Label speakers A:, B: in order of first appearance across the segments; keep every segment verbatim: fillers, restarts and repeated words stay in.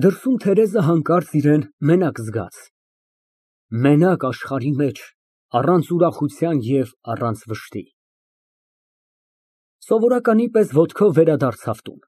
A: Դրսում Թերեզը հանկարծ իրան մենակ զգաց, մենակ աշխարհի մեջ, առանց ուրախության և առանց վշտի։ Սովորականի պես ոտքով վերադարձավ տուն։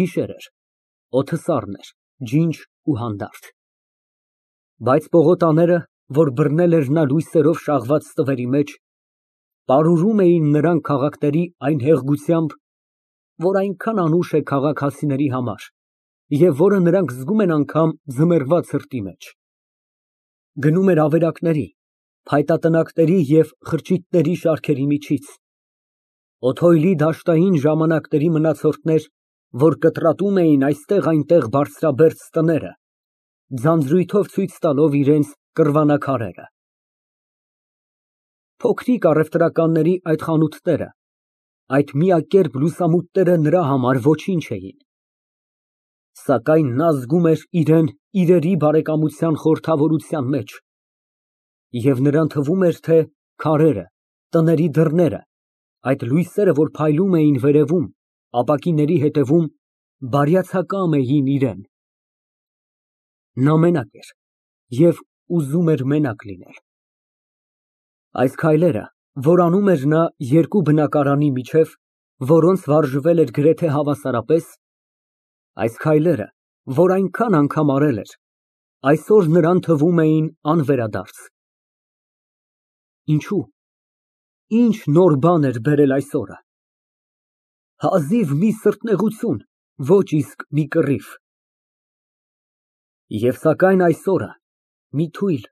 A: Գիշեր էր, օդը սառն էր, ջինջ ու հանդարտ, բայց պողոտաները, որ բռնել էր նա լույսերով շաղված ստվերի մեջ, պարուրում էին նրան քաղաքների այն հեղգությամբ, որ այնքան անուշ է քաղաքացիների համար և որը նրանք զգում են անգամ ձմեռվա ցրտի մեջ։ Գնում էր ավերակների, փայտատնակների և խրճիթների շարքերի միջից, օթոյլի դաշտային ժամանակների մնացորդներ, որ կտրատում էին այստեղ֊այնտեղ բարձրաբերձ տները, ձանձրույթով ցույց տալով իրենց կռվանաքարերը։ Փոքրիկ առևտրականների այդ խանութները, այդ միակերպ լուսամուտները նրա համար ոչինչ էին, սակայն նա զգում էր իրան իրերի բարեկամության խորհրդավորության մեջ, և նրան թվում էր, թե քարերը, տների դռները, այդ լույսերը, որ փայլում էին վերևում, ապակիների հետևում, բարյացակամ էին իրան։ Նա մենակ էր և ուզում էր մենակ լինել։ Այս քայլերը, որ անում էր նա երկու բնակարանի միջև, որոնց վարժվել էր գրեթե հավասարապես, այս քայլերը, որ այնքան անգամ արել էր, այսօր նրան թվում էին անվերադարձ։ Ինչո՞ւ, ինչ նոր բան էր բերել այս օրը։ Հազիվ մի սրտնեղություն, ոչ իսկ մի կռիվ։ Եվ սակայն այս օրը մի թույլ,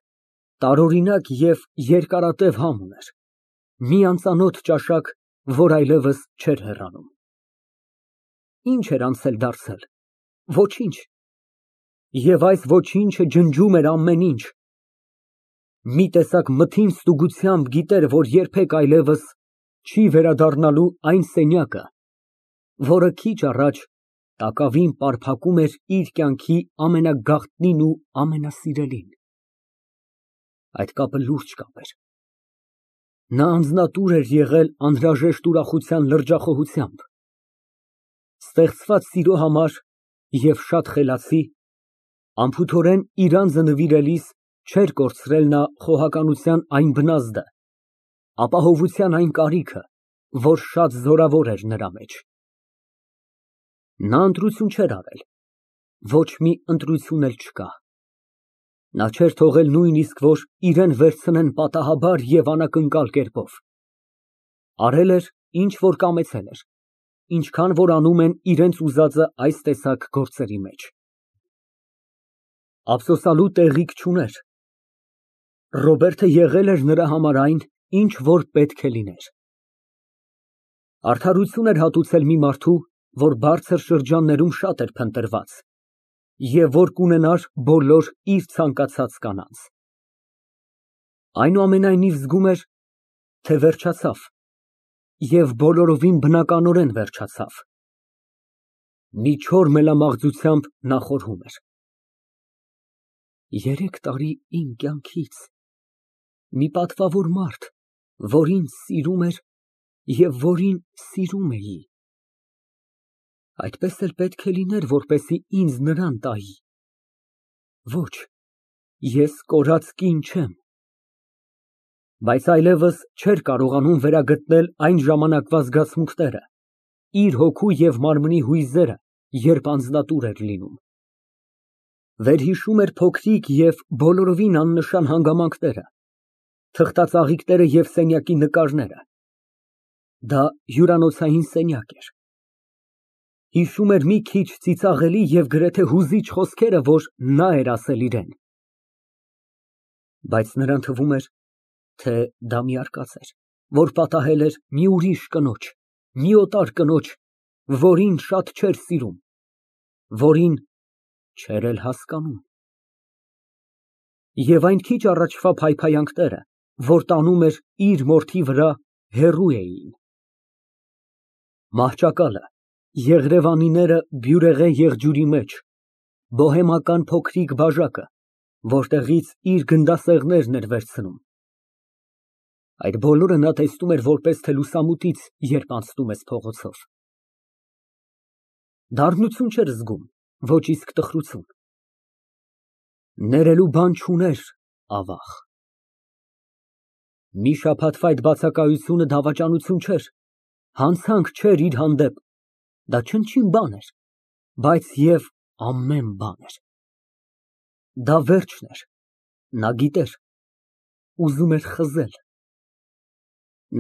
A: տարօրինակ և երկարատև համ ուներ, մի անծանոթ ճաշակ, որ այլևս չէր հեռանում։ Ի՞նչ էր անցել դարձել։ Ոչինչ։ Եվ այս ոչինչը ջնջում էր ամեն ինչ։ Մի տեսակ մթին ստուգությամբ գիտեր, որ երբեք այլևս չի վերադառնալու այն սենյակը, որը քիչ առաջ տակավին պարփակում էր իր կյանքի ամենագաղտնին ու ամենասիրելին։ Այդ կապը լուրջ կապ էր։ Նա անձնատուր էր եղել անհրաժեշտ ուրախության լրջախոհությամբ։ Ստեղծված սիրո համար և շատ խելացի, անփութորեն իր անձը նվիրելիս չէր կորցրել նա խոհականության այն բնազդը, ապահովության այն կարիքը, որ շատ զորավոր էր նրա մեջ։ Նա ընտրություն չէր արել, ոչ մի ընտրություն էլ չկա։ Նա չէր թողել նույնիսկ, որ իրան վերցնեն պատահաբար և անակնկալ կերպով։ Արել էր, ինչ որ կամեցել էր, ինչքան որ անում են իրենց ուզածը այս տեսակ գործերի մեջ։ Ափսոսանալու տեղիք չուներ։ Ռոբերտը եղել էր նրա համար այն, ինչ որ պետք է լիներ։ Արդարություն էր հատուցել մի մարդու, որ բարձր շրջաններում շատ էր փնտրված և որ կունենար բոլոր իր ցանկացած կանանց։ Այնուամենայնիվ զգում էր, թե վերջացավ և բոլորովին բնականորեն վերջացավ։ Մի չոր մելամաղձությամբ նա խորհում էր. Երեք տարի իմ կյանքից մի պատվավոր մարդ, որ ինձ սիրում էր և որին սիրում էի, այդպես էլ պետք է լիներ, որպեսզի ինձ նրան տայի։ Ոչ, ես կորած կին չեմ։ Բայց այլևս չէր կարողանում վերագտնել այն ժամանակվա զգացմունքները, իր հոգու և մարմնի հույզերը, երբ անձնատուր էր լինում։ Վերհիշում էր փոքրիկ և բոլորովին աննշան հանգամանքները, թղթածաղիկները և սենյակի նկարները։ Դա հյուրանոցային սենյակ էր։ Հիշում էր մի քիչ ծիծաղելի և գրեթե հուզիչ խոսքերը, որ նա էր ասել իրան։ Բայց նրան թվում էր, թե դա մի արկած էր, որ պատահել էր մի ուրիշ կնոջ, մի օտար կնոջ, որին շատ չէր սիրում, որին չէր էլ հասկանում։ Եվ այն քիչ առաջվա փայփայանքները, որ տանում էր իր մորթի վրա, հեռու էին։ Մահճակալը, եղրևանիները բյուրեղե եղջյուրի մեջ, բոհեմական փոքրիկ բաժակը, որտեղից իր գնդասեղներն էր վերցնում, այդ բոլորը նա տեսնում էր որպես թե լուսամուտից, երբ անցնում ես փողոցով։ Դառնություն չէր զգում, ոչ իսկ տխրություն։ Ներելու բան չուներ, ավաղ։ Մի շաբաթվա այդ բացակայությունը դավաճանություն չէր, հանցանք չէր իր հանդեպ, դա չնչին բան էր, բայց և ամեն բան էր։ Դա վերջն էր, նա գիտեր, ուզում էր խզել։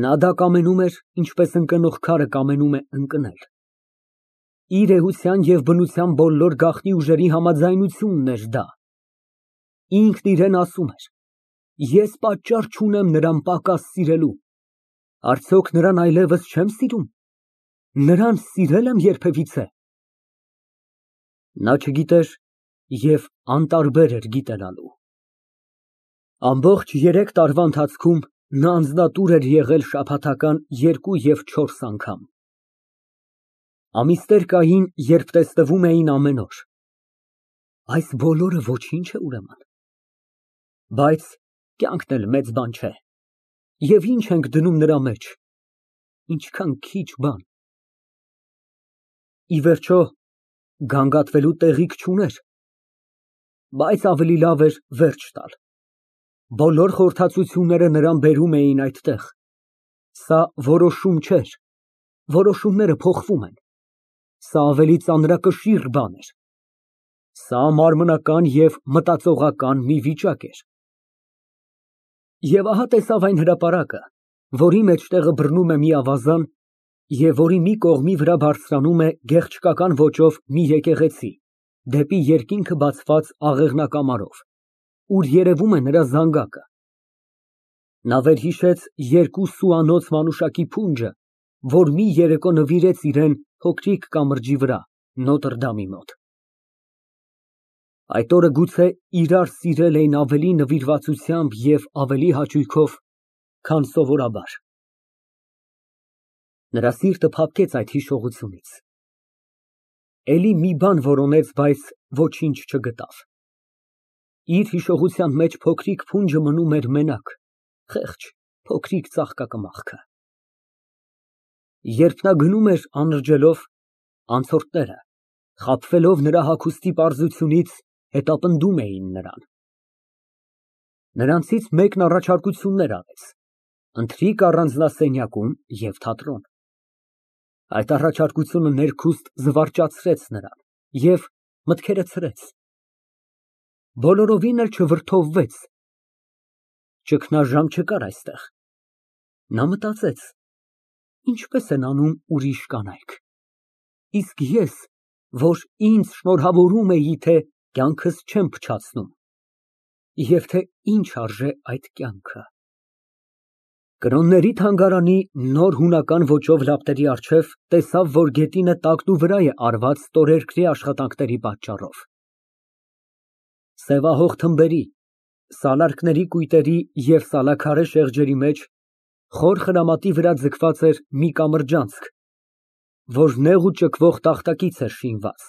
A: Նա դա կամենում էր, ինչպես ընկնող քարը կամենում է ընկնել։ Իր էության և բնության բոլոր գաղտնի ուժերի համաձայնությունն էր դա։ Ինքն իրան ասում էր. ես պատճառ չունեմ նրան պակաս սիրելու, արդյոք նրան այլևս չեմ սիրում, նրան սիրե՞լ եմ երբևիցե։ Նա չգիտեր և անտարբեր էր գիտենալու։ Ամբողջ երեք տարվա ընթացքում նա անձնատուր էր եղել շաբաթական երկու և չորս անգամ։ Ամիսներ կային, երբ տեսնվում էին ամեն օր։ Այս բոլորը ոչինչ է, ուրեմն։ Բայց կյանքն էլ մեծ բան չէ, և ինչ ենք դնում նրա մեջ, ինչքան քիչ բան։ Ի վերջո, գանգատվելու տեղիք չուներ, բայց ավելի լավ էր վերջ տալ։ Բոլոր խորհրդածությունները նրան բերում էին այդտեղ։ Սա որոշում չէր, որոշումները փոխվում են, սա ավելի ծանրակշիռ բան էր։ Սա մարմնական և մտածողական մի վիճակ էր։ Եվ ահա տեսավ այն հրապարակը, որի մեջտեղը բռնում է մի ավազան և որի մի կողմի վրա բարձրանում է գեղչկական ոճով մի եկեղեցի, դեպի երկինքը բացված աղեղնակամարով, ուր երևում է նրա զանգակը։ Նա վերհիշեց երկու սուանոց մանուշակի փունջը, որ մի երեկո նվիրեց իրան փոքրիկ կամրջի վրա, Նոտրդամի մոտ։ Այդ օրը գուցե իրար սիրել էին ավելի նվիրվածությամբ և ավելի հաճույքով, քան սովորաբար։ Նրա սիրտը փափկեց այդ հիշողությունից։ Էլի մի բան որոնեց, բայց ոչինչ չգտավ։ Իր հիշողության մեջ փոքրիկ փունջը մնում էր մենակ, խեղճ, փոքրիկ ծաղկակմախքը։ Երբ նա գնում էր անրջելով, անցորդները, խաբվելով նրա հագուստի պարզությունից, հետապնդում էին նրան։ Նրանցից մեկն առաջարկություններ արեց, ընթրիք առանձնասենյակում և թատրոն։ Այդ առաջարկությունը ներքուստ զվարճացրեց նրան և մտքերը ցրեց։ Բոլորովին էլ չվրդովվեց։ Ճգնաժամ չկար այստեղ։ Նա մտածեց. ինչպե՞ս են անում ուրիշ կանայք, իսկ ես, որ ինձ շնորհավորում էի, թե կյանքս չեմ փչացնում, և թե ինչ արժե այդ կյանքը։ Կրոնների թանգարանի նոր հունական ոճով լապտերի առջև տեսավ, որ գետինը տակնուվրա է արված ստորերկրի աշխատանքների պատճառով։ Սևահող թմբերի, սալարկների կույտերի և սալաքարե շեղջերի մեջ խոր խրամատի վրա ձգված էր մի կամրջանցք, որ նեղ ու ճկվող տախտակից էր շինված։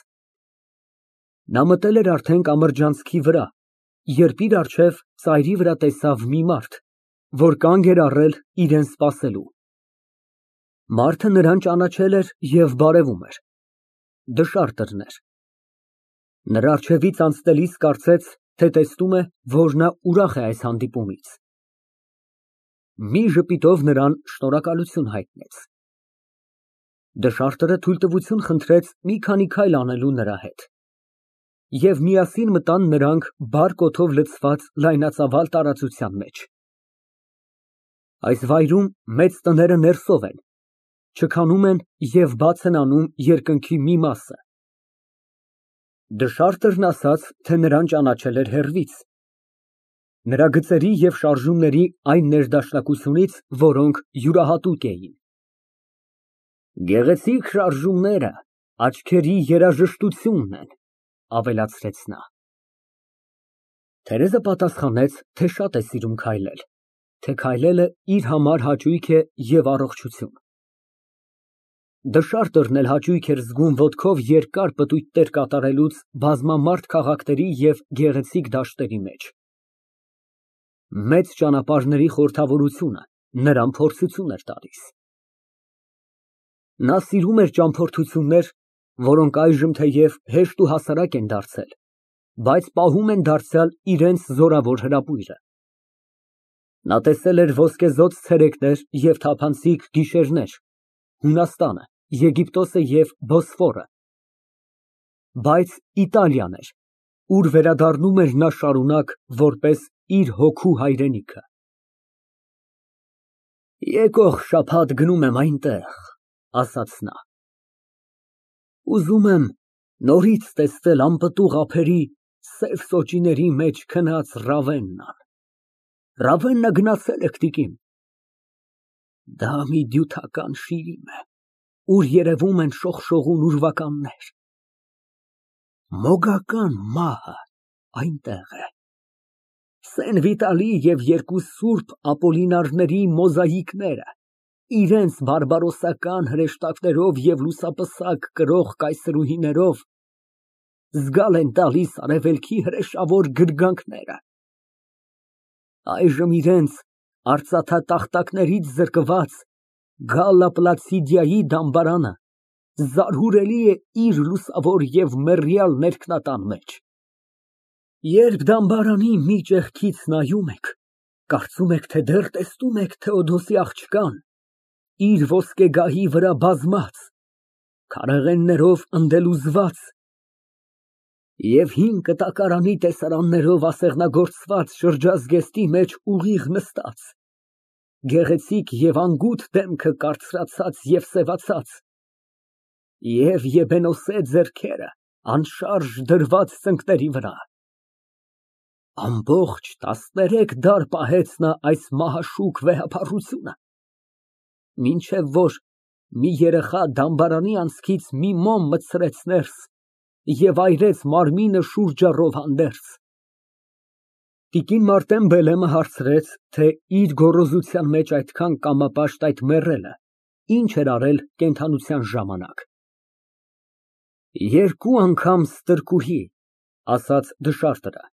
A: Նա մտել էր արդեն կամրջանցքի վրա, երբ իր առջև ծայրի վրա տեսավ մի մարդ, որ կանգ էր առել իրան սպասելու։ Մարդը նրան ճանաչել էր և բարևում էր։ Դշարտրն էր։ Նրա առջևից անցնելիս կարծեց, թե տեսնում է, որ նա ուրախ է այս հանդիպումից։ Մի ժպիտով նրան շնորհակալություն հայտնեց։ Դշարտրը թույլտվություն խնդրեց մի քանի քայլ անելու նրա հետ։ Եվ միասին մտան նրանք բար կոթով լցված լայնածավալ տարածության մեջ։ Այս վայրում մեծ տները ներսով են, չքանում են և բաց են անում երկնքի մի մասը։ Դշարտրն ասաց, թե նրան ճանաչել էր հեռվից, նրա գծերի և շարժումների այն ներդաշնակությունից, որոնք յուրահատուկ էին։ Գեղեցիկ շարժումները աչքերի երաժշտությունն են, ավելացրեց նա։ Թերեզը պատասխանեց, թե շատ է սիրում քայլել, թե քայլելը իր համար հաճույք է և առողջություն։ Դշարտրն էլ հաճույք էր զգում ոտքով երկար պտույտներ կատարելուց բազմամարդ քաղաքների և գեղեցիկ դաշտերի մեջ։ Մեծ ճանապարհների խորհրդավորությունը նրան փորձություն էր տալիս։ Նա սիրում էր ճամփորդություններ, որոնք այժմ թեև հեշտ ու հասարակ են դարձել, բայց պահում են դարձյալ իրենց զորավոր հրապույրը։ Նա տեսել էր ոսկեզօծ ցերեկներ և թափանցիկ գիշերներ, Հունաստանը, Եգիպտոսը և Բոսֆորը, բայց Իտալիան էր, ուր վերադառնում էր նա շարունակ որպես իր հոգու հայրենիքը։ Եկող շաբաթ գնում եմ այնտեղ, ասաց նա։ Ուզում եմ նորից տեսնել անպտուղ ափերի սև սոճիների մեջ քնած Ռավեննան։ Ռավեննա գնացե՞լ եք, տիկին։ Դա մի դյութական շիրիմ է, ուր երևում են շողշողուն ուրվականներ։ Մոգական մահը այնտեղ է։ Սեն Վիտալի և երկու սուրբ ապոլինարների մոզաիկները իրենց բարբարոսական հրեշտակներով և լուսապսակ կրող կայսրուհիներով զգալ են տալիս արևելքի հրեշավոր գրգանքները։ Այժմ իրենց արծաթատախտակներից զրկված Գալլա Պլացիդիայի դամբարանը զարհուրելի է իր լուսավոր և մեռյալ ներքնատան մեջ։ Երբ դամբարանի մի ճեղքից նայում եք, կարծում եք, թե դեռ տեսնում եք Թեոդոսի աղջկան, իր ոսկեգահի վրա բազմած, քարեղեններով ընդելուզված և հին կտակարանի տեսարաններով ասեղնագործված շրջազգեստի մեջ ուղիղ նստած, գեղեցիկ և անգութ դեմքը կարծրացած և սևացած, և եբենոսե ձեռքերը անշարժ դրված ծնկների վրա։ Ամբողջ տասներեք դար պահեց նա այս մահաշուկ վեհափառությունը, մինչև որ մի երեխա դամբարանի անցքից մի մոմ մտցրեց ներս և այրեց մարմինը շուրջառով հանդերձ։ Տիկին Մարտեն Բելեմը հարցրեց, թե իր գոռոզության մեջ այդքան կամապաշտ այդ մեռելը ինչ էր արել կենդանության ժամանակ։ Երկու անգամ ստրկուհի, ասաց դշարտը,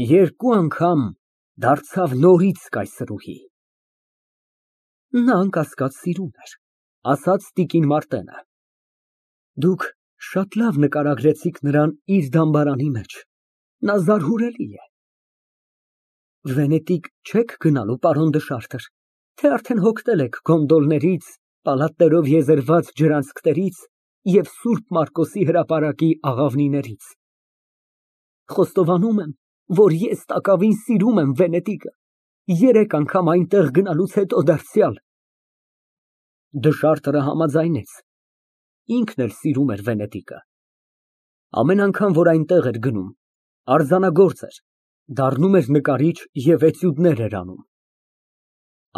A: երկու անգամ դարձավ նորից կայսրուհի։ Նա անկասկած սիրուն էր, ասաց տիկին Մարտենը։ Դուք շատ լավ նկարագրեցիք նրան իր դամբարանի մեջ, նա զարհուրելի է։ Վենետիկ չե՞ք գնալու, պարոն դշարտր, թե արդեն հոգնել եք գոնդոլներից, պալատներով եզերված ջրանցքներից և Սուրբ Մարկոսի հրապարակի աղավնիներից։ Խոստովանում եմ, որ ես տակավին սիրում եմ Վենետիկը, երեք անգամ այնտեղ գնալուց հետո դարձյալ։ Դշարտը համաձայնեց, ինքն էլ սիրում էր Վենետիկը։ Ամեն անգամ, որ այնտեղ էր գնում, արձանագործ էր, դառնում էր նկարիչ և էտյուդներ էր անում։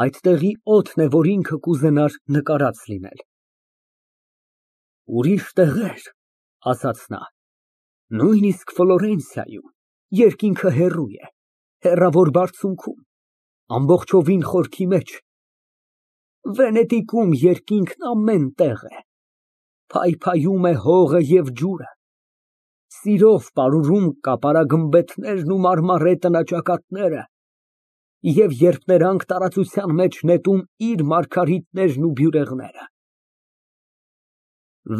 A: Այդտեղի օդն է, որ ինքը կուզենար նկարած լինել։ Ուրիշ տեղեր, ասաց նա, նույնիսկ Ֆլորենցիայում, երկինքը հեռու է, հեռավոր բարձունքում, ամբողջովին խորքի մեջ, Վենետիկում երկինքն ամեն տեղ է, փայփայում է հողը և ջուրը, սիրով պարուրում կապարագմբեթներն ու մարմարե տնաճակատները և երբ նրանք տարածության մեջ նետում իր մարգարիտներն ու բյուրեղները։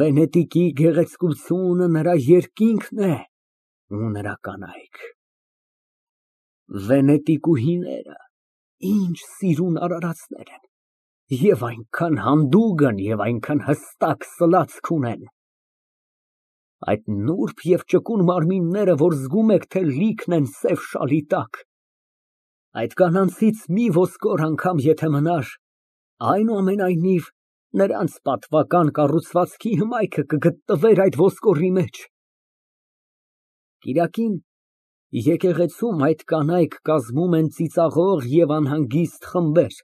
A: Վենետիկի գեղեցկությունը նրա երկինքն է ու նրա կանայք։ Վենետիկուհիները ինչ սիրուն արարածներ են, և այնքան հանդուգն և այնքան հստակ սլացք ունեն։ Այդ նուրբ և ճկուն մարմինները, որ զգում եք, թե լիքն են սև շալի տակ, այդ կանանցից մի ոսկոր անգամ եթե մնար, այնուամենայնիվ նրանց պատվական կառուցվածքի հմայքը կգտնվեր այդ ոսկորի մեջ։ Կիրակին եկեղեցում այդ կանայք կազմում են ծիծաղող և անհանգիստ խմբեր,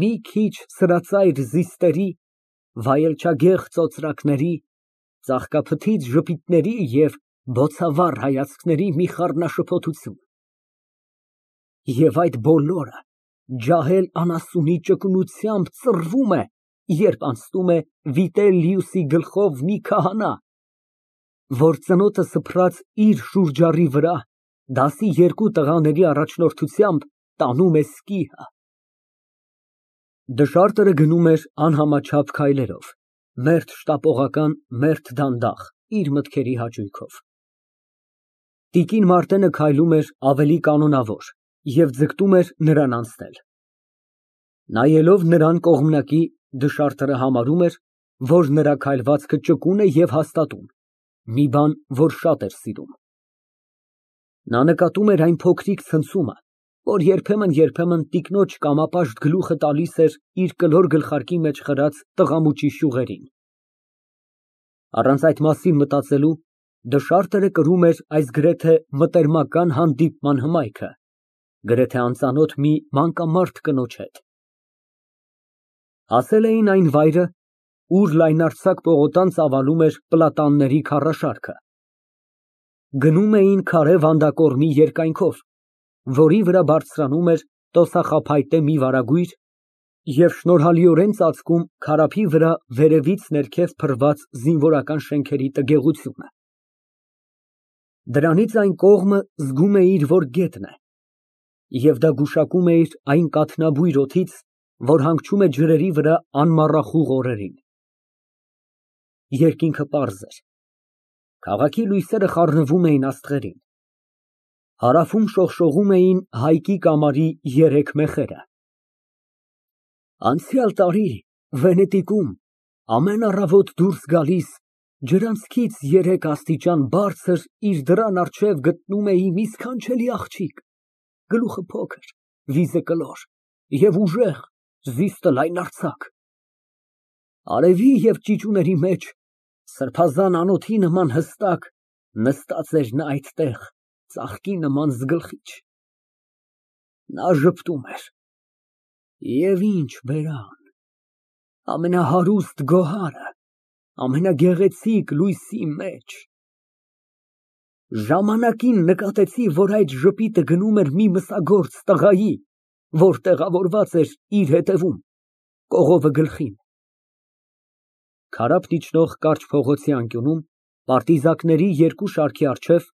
A: մի քիչ սրածայր զիստերի, վայելչագեղ ծոծրակների, ծաղկափթիթ ժպիտների և բոցավառ հայացքների մի խառնաշփոթություն։ Եվ այդ բոլորը ջահել անասունի ճկունությամբ ծռվում է, երբ անցնում է Վիտելիուսի գլխով մի քահանա, որ ծնոտը սփռած իր շուրջառի վրա, դասի երկու տղաների առաջնորդությամբ տանում է սկիհը։ Դշարտը գնում էր անհամաչափ քայլերով, Մերթ շտապողական, մերթ դանդաղ, իր մտքերի հաճույքով։ Տիկին Մարտենը քայլում էր ավելի կանոնավոր և ձգտում էր նրան անցնել։ Նայելով նրան կողմնակի, դժարտը համարում էր, որ նրա քայլվածքը ճկուն է և հաստատուն, մի բան, որ շատ էր սիրում։ Նա նկատում էր այն փոքրիկ ցնցումը, որ երբեմն֊երբեմն տիկնոջ կամապաշտ գլուխը տալիս էր իր կլոր գլխարկի մեջ խրած տղամուճի շյուղերին։ Առանց այդ մասին մտածելու, դժարտը կրում էր այս գրեթե մտերմական հանդիպման հմայքը, գրեթե անծանոթ մի մանկամարդ կնոջ հետ։ Հասել էին այն վայրը, ուր լայնարձակ պողոտան ծավալում էր պլատանների քառաշարքը։ Գնում էին քարե վանդակորմի երկայնքով, որի վրա բարձրանում էր տոսախաբայտե մի վարագույր և շնորհալիորեն ծածկում քարափի վրա վերևից ներքև փռված զինվորական շենքերի տգեղությունը։ Դրանից այն կողմը զգում էիր, որ գետն է, և դա գուշակում էիր այն կաթնաբույր օդից, որ հանգչում է ջրերի վրա անմառախուղ օրերին։ Երկինքը պարզ էր, քաղաքի լույսերը խառնվում էին աստղերին, հարավում շողշողում էին հայկի կամարի երեք մեխերը։ Անցյալ տարի Վենետիկում ամեն առավոտ դուրս գալիս, ջրանցքից երեք աստիճան բարձր իր դռան առջև գտնում էի մի սքանչելի աղջիկ, գլուխը փոքր, վիզը կլոր և ուժեղ, զիստը լայնարձակ։ Արևի և ճիճուների մեջ, սրբազան անոթի նման հստակ, նստած էր նա այդտեղ, ծաղկի նման զգլխիչ։ Նա ժպտում էր։ Եվ ինչ բերան, ամենահարուստ գոհարը, ամենագեղեցիկ լույսի մեջ։ Ժամանակին նկատեցի, որ այդ ժպիտը գնում էր մի մսագործ տղայի, որ տեղավորված էր իր ետևում, կողովը գլխին։ Քարափ իջնող կարճ փողոցի անկյունում, պարտիզակների երկու շարքի առջև,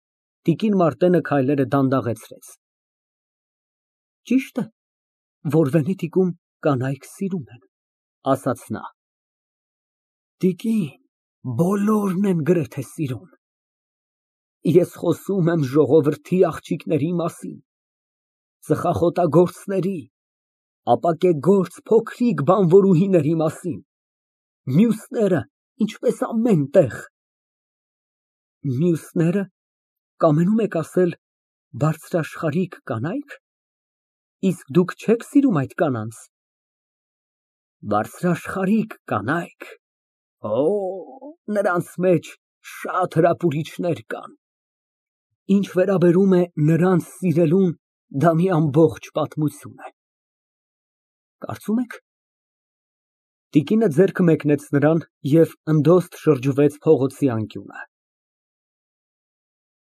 A: տիկին Մարտենը քայլերը դանդաղեցրեց։ Ճիշտ է, որ Վենետիկում կանայք սիրում են, ասաց նա։ Տիկին, բոլորն են գրեթե սիրում։ Ես խոսում եմ ժողովրդի աղջիկների մասին, ծխախոտագործների, ապակեգործ փոքրիկ բանվորուհիների մասին, մյուսները ինչպես ամեն տեղ։ Մյուսնե՞րը, կամենում եք ասել, բարձրաշխարհիկ կանայք, իսկ դուք չեք սիրում այդ կանանց։ Բարձրաշխարհիկ կանայք, օ, նրանց մեջ շատ հրապուրիչներ կան։ Ինչ վերաբերում է նրանց սիրելուն, դա մի ամբողջ պատմություն է։ Կարծում եք։ Տիկինը ձեռքը մեկնեց նրան և ընդոստ շրջվեց փողոցի անկյունը։